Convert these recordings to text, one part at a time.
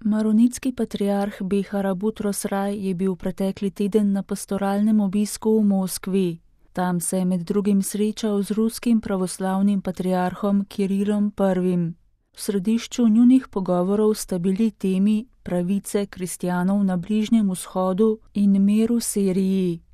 Maronitski patriarh Behara Butros Raj je bil pretekli teden na pastoralnem obisku v Moskvi. Tam se je med drugim srečal z ruskim pravoslavnim patriarhom Kirilom I. V središču njunih pogovorov sta bili temi pravice kristjanov na Bližnjem vzhodu in mir v Siriji.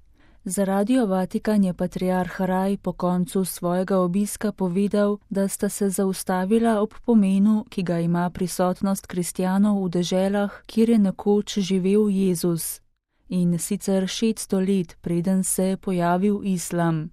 Za Radio Vatikan je patriarh Raj po koncu svojega obiska povedal, da sta se zaustavila ob pomenu, ki ga ima prisotnost kristjanov v deželah, kjer je nekoč živel Jezus. In sicer 600 let, preden se je pojavil islam.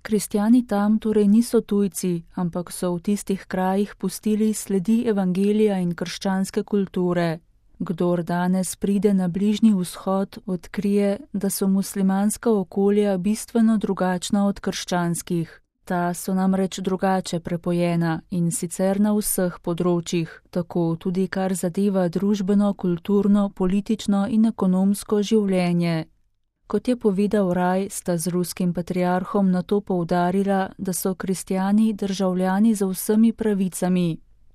Kristjani tam torej niso tujci, ampak so v tistih krajih pustili sledi evangelija in krščanske kulture. Kdor danes pride na Bližnji vzhod, odkrije, da so muslimanska okolja bistveno drugačna od krščanskih. Ta so namreč drugače prepojena in sicer na vseh področjih, tako tudi kar zadeva družbeno, kulturno, politično in ekonomsko življenje. Kot je povedal Raj, sta z ruskim patriarhom nato poudarila, da so kristjani državljani z vsemi pravicami.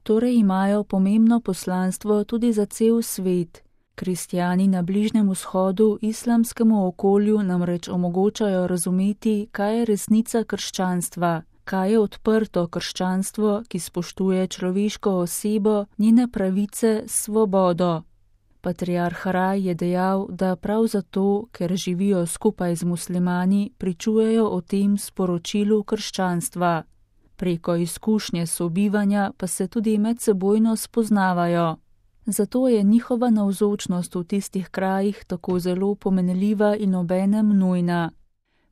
Torej imajo pomembno poslanstvo tudi za cel svet. Kristjani na Bližnjem vzhodu islamskemu okolju namreč omogočajo razumeti, kaj je resnica krščanstva, kaj je odprto krščanstvo, ki spoštuje človeško osebo, njene pravice, svobodo. Patriarh Raj je dejal, da prav zato, ker živijo skupaj z muslimani, pričujejo o tem sporočilu krščanstva. Preko izkušnje sobivanja pa se tudi medsebojno spoznavajo. Zato je njihova navzočnost v tistih krajih tako zelo pomenljiva in obenem nujna.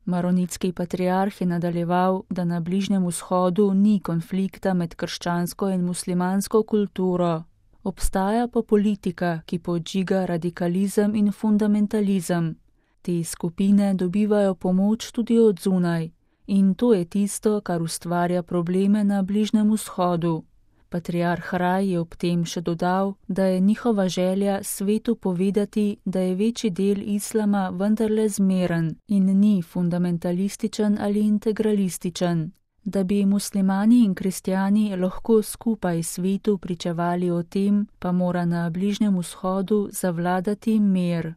Maronitski patriarh je nadaljeval, da na Bližnjem vzhodu ni konflikta med krščansko in muslimansko kulturo. Obstaja pa politika, ki podžiga radikalizem in fundamentalizem. Te skupine dobivajo pomoč tudi od zunaj. In to je tisto, kar ustvarja probleme na Bližnjem vzhodu. Patriarh Raj je ob tem še dodal, da je njihova želja svetu povedati, da je večji del islama vendarle zmeren in ni fundamentalističen ali integralističen. Da bi muslimani in kristjani lahko skupaj svetu pričevali o tem, pa mora na Bližnjem vzhodu zavladati mir.